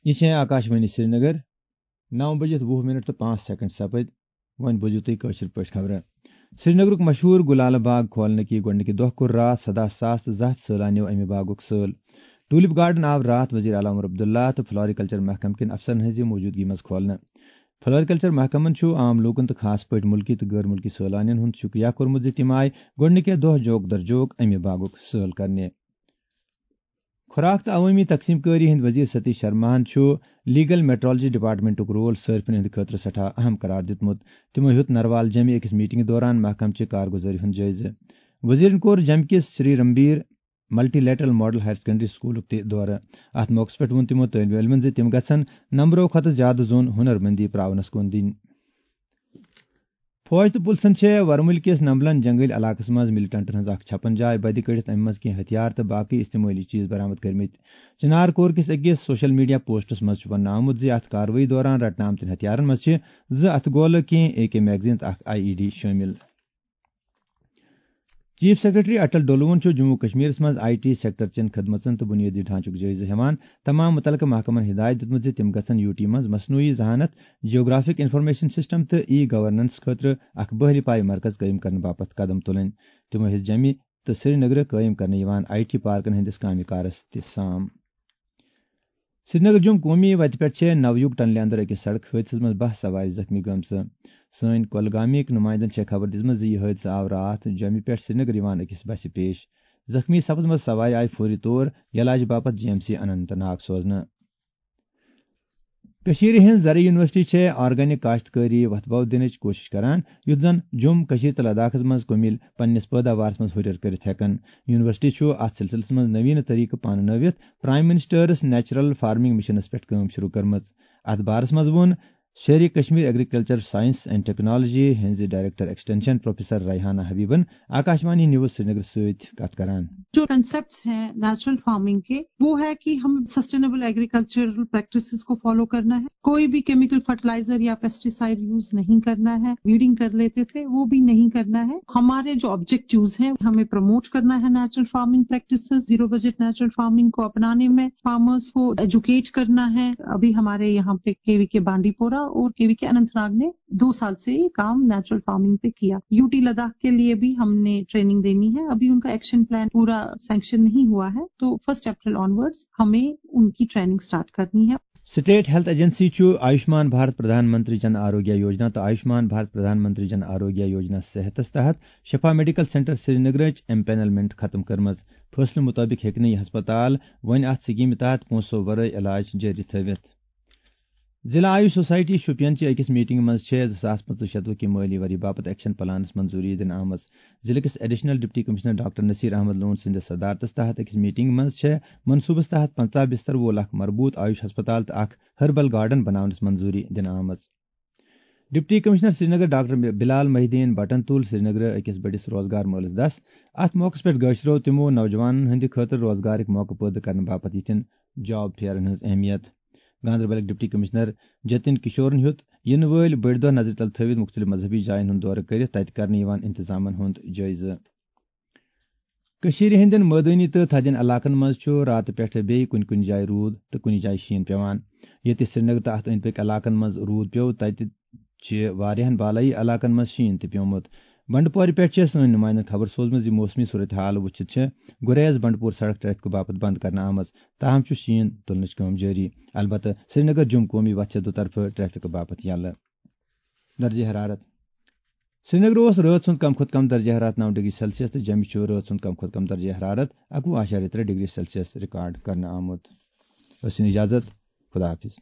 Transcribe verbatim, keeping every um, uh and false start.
یہِ چھےٚ آکاشوانی سرینگر۔ نو بجِتھ وُہ منٹ تہٕ پانٛژھ سیکنڈ سپٕدۍ۔ وۄنۍ بوٗزِو تُہۍ کٲشِر پٲٹھۍ خبرٕ۔ سرینگرُک مشہوٗر گُلالہٕ باغ کھولنہٕ کہِ گۄڈٕنِکہِ دۄہ کوٚر راتھ سداہ ساس تہٕ زٕ ہتھ سٲلانیو اَمہِ باغُک سٲل۔ ٹولپ گارڈن آو راتھ وزیر اعلیٰ عمر عبداللہ تہٕ فلوریکلچر محکمہٕ کٮ۪ن افسرن ہٕنٛزِ موٗجوٗدگی منٛز کھولنہٕ۔ فلوریکلچر محکمن چھُ عام لوٗکن تہٕ خاص پٲٹھۍ مُلکی تہٕ غٲر مُلکی سٲلانین ہُنٛد شُکریہ کوٚرمُت زِ تِم آیہِ گۄڈٕنِکہِ دۄہ جوک در جوک اَمہِ باغُک سٲل کرنہِ۔ خوراک تہٕ عوٲمی تقسیم کٲری ہٕنٛدۍ وزیر ستیش شرماہن چھُ لیگل میٹرولوجی ڈپارٹمنٹُک رول صارفین ہٕنٛدِ خٲطرٕ سٮ۪ٹھاہ اہم قرار دِیُتمُت۔ تِمو ہیوٚت نروال جیمہِ أکِس میٹنگہِ دوران محکمہٕ چہِ کارگُزٲری ہُنٛد جٲیزٕ۔ وزیرن کوٚر جیمہِ کِس Shri Ranbir multilateral model higher secondary سکولُک تہِ دورٕ۔ اتھ موقعس پٮ۪ٹھ ووٚن تِمو طٲلبہِ علمن زِ تِم گژھن نمبرو کھۄتہٕ زیادٕ زوٚن ہُنر مندی پراونس کُن دِنۍ۔ فوج تہٕ پُلسَن چھےٚ ورمُلہِ کِس نمبلن جنگل علاقس منٛز ملیٹنٹن ہٕنٛز اکھ چھپن جاے بدِ کٔڑِتھ، اَمہِ منٛز کینٛہہ ہتھیار تہٕ باقٕے استعمٲلی چیز برآمد کٔرمٕتۍ۔ چنار کور کِس أکِس سوشل میڈیا پوسٹس منٛز چھُ وننہٕ آمُت زِ اتھ کاروٲیی دوران رٹنہٕ آمتٮ۪ن ہتھیارن منٛز چھِ زٕ اتھٕ گولہٕ، کینٛہہ اے کے میگزین تہٕ اکھ آئی ای ڈی شٲمِل۔ چیف سیکرٹری اٹل ڈولوُن چھُ جموں و کشمیرس منٛز آئی ٹی سیکٹر چٮ۪ن خدمژن تہٕ بنیٲدی ڈھانچُک جٲیزٕ ہٮ۪وان۔ تمام متعلقہٕ محکمن ہدایت دِیُتمُت زِ تِم گژھن یو ٹی منٛز مصنوعی ذہانت، جیوگرافک انفارمیشن سسٹم تہٕ ای گورننس خٲطرٕ اکھ بحری پایہِ مرکز قٲیِم کرنہٕ باپتھ قدم تُلٕنۍ۔ تِمو ہیٚژ جیمہِ تہٕ سرینگرٕ قٲیِم کرنہٕ یِوان آئی ٹی پارکن ہٕنٛدِس کامہِ کارس تہِ سام۔ سرینگر جوٚم قومی وتہِ پٮ۪ٹھ چھےٚ نویوگ ٹنلہِ اندر أکِس سڑک حٲدثس منٛز باہ سوارِ زخمی گٔمژٕ۔ سٲنۍ کۄلگامیِکۍ نُمایندن چھےٚ خبر دِژمٕژ زِ یہِ حٲدثہٕ آو راتھ جوٚمہِ پٮ۪ٹھ سرینگر یِوان أکِس بسہِ پیش۔ زخمی سپدمژ سوارِ آیہِ فوری طور علاج باپتھ G M C Anant Nag سوزنہٕ۔ کٔشیٖرِ ہٕنٛز زرعی یونیورسٹی چھےٚ آرگینک کاشتکٲری وۄتھٕ باو دِنٕچ کوٗشِش کران، یُتھ زَن جوٚم، کٔشیٖر تہٕ لداخَس منٛز کُمِل پننِس پٲداوارَس منٛز ہُرٮ۪ر کٔرِتھ ہٮ۪کَن۔ یونیورسٹی چھُ اَتھ سلسلس منٛز نویٖنہٕ طریقہٕ پانہٕ نٲوِتھ پرائم منسٹرس نیچرل فارمنگ مشنَس پٮ۪ٹھ کٲم شروع کٔرمٕژ۔ اَتھ بارَس منٛز ووٚن Sher-e-Kashmir agriculture science and technology ہٕنٛزِ ڈائریکٹر ایکسٹینشن پروفیسر ریحانہ حبیبن آکاشوانی نیوز سرینگر سۭتۍ کتھ کران۔ جو کنسپٹس ہیں نیچرل فارمنگ کے، وہ ہے کہ ہم سسٹینیبل ایگریکلچرل پریکٹسز کو فالو کرنا ہے، کوئی بھی کیمیکل فرٹیلائزر یا پیسٹیسائڈ یوز نہیں کرنا ہے، ویڈنگ کر لیتے تھے، وہ بھی نہیں کرنا ہے۔ ہمارے جو آبجیکٹیوز ہیں، ہمیں پروموٹ کرنا ہے natural farming practices, zero budget natural farming کو اپنانے میں، فارمرز کو ایجوکیٹ کرنا ہے۔ ابھی ہمارے یہاں پہ کے وی کے بانڈی پورہ اور کے وی کے اننت ناگ نے دو سال سے یہ کام نیچرل فارمنگ پہ کیا۔ یو ٹی لداخ کے لیے بھی ہم نے ٹریننگ دینی ہے۔ ابھی ان کا ایکشن پلان پورا سینکشن نہیں ہوا ہے، تو فرسٹ اپریل آنورڈز ہمیں ان کی ٹریننگ سٹارٹ کرنی ہے۔ سٹیٹ ہیلتھ ایجنسی چھُ آیوشمان بھارت پردھان منتری جن آروگیہ یوجنا تہٕ آیوشمان بھارت پردھان منتری جن آروگیہ یوجنا صحتس تحت شفا میڈیکل سینٹر سرینگرٕچ ایمپینلمنٹ ختم کٔرمٕژ۔ فٲصلہٕ مُطٲبِق ہیٚکہِ نہٕ یہِ ہسپتال وۄنۍ اَتھ سکیمہِ تحت پونٛسو ورٲے علاج جٲری تھٲوِتھ۔ ضلع آیوش سوسائٹی شوپین چہِ أکِس میٹنگہِ منٛز چھےٚ زٕ ساس پٕنٛژٕہ شتوُہ کہِ مٲلی ؤری باپتھ ایکشن پلانس منظوری دِنہٕ آمٕژ۔ ضلعہٕ کِس additional deputy commissioner doctor Naseer Ahmad Lone سٕنٛدِس صدارتس تحت أکِس میٹنگہِ منٛز چھےٚ منصوبس تحت پنٛژاہ بستر وول اکھ مربوط آیوش ہسپتال تہٕ اکھ ہربل گارڈن بناونس منظوری دِنہٕ آمٕژ۔ ڈپٹی کمشنر سرینگر ڈاکٹر بلال محی الدین بٹن تُل سرینگرٕ أکِس بٔڑِس روزگار مٲلس دس۔ اتھ موقعس پٮ۪ٹھ گٲشرو تِمو نوجوانن ہٕنٛدِ خٲطرٕ روزگارٕکۍ موقعہٕ پٲدٕ کرنہٕ باپتھ یِتھٮ۪ن جاب فیئرن ہٕنٛز اہمیت۔ گاندربلٕکۍ ڈپٹی کمشنر جتن کشورن ہیوٚت یِنہٕ وٲلۍ بٔڑۍ دۄہ نظرِ تل تھٲوِتھ مُختٔلِف مذہبی جاین ہُنٛد دورٕ کٔرِتھ تتہِ کرنہٕ یِوان انتظامن ہُنٛد جٲیزٕ۔ کٔشیٖرِ ہٕنٛدٮ۪ن مٲدٲنی تہٕ تھدٮ۪ن علاقن منٛز چھُ راتہٕ پٮ۪ٹھٕ بیٚیہِ کُنہِ کُنہِ جایہِ روٗد تہٕ کُنہِ جایہِ شیٖن پٮ۪وان۔ ییٚتہِ سرینگر تہٕ اتھ أنٛدۍ پٔکۍ علاقن منٛز روٗد پیوٚو، تتہِ چھِ واریاہن بالٲیی علاقن منٛز شیٖن تہِ پیوٚمُت۔ بنڈپورِ پٮ۪ٹھ چھِ سٲنۍ نُمایندن خبر سوزمٕژ زِ موسمی صورتحال وٕچھِتھ چھِ گُریز بنڈپور سڑک ٹریفکہٕ باپتھ بند کرنہٕ آمٕژ، تاہم چھُ شیٖن تُلنٕچ کٲم جٲری۔ البتہٕ سرینگر جوٚم قومی وتھ چھےٚ دُطرفہٕ ٹریفکہٕ باپتھ یلہٕ۔ درجہ حرارت۔ سرینگر اوس رٲژ ہُنٛد کم کھۄتہٕ کم درجہ حرارت نو ڈگری سیلسیس تہٕ جوٚمہِ چھُ رٲژ ہُنٛد کم کھۄتہٕ کم درجہ حرارت اَکوُہ اعشاریہ ترٛےٚ ڈگری سیلسیس ریکارڈ کرنہٕ آمُت۔ ٲسِن اجازت، خدا حافظ۔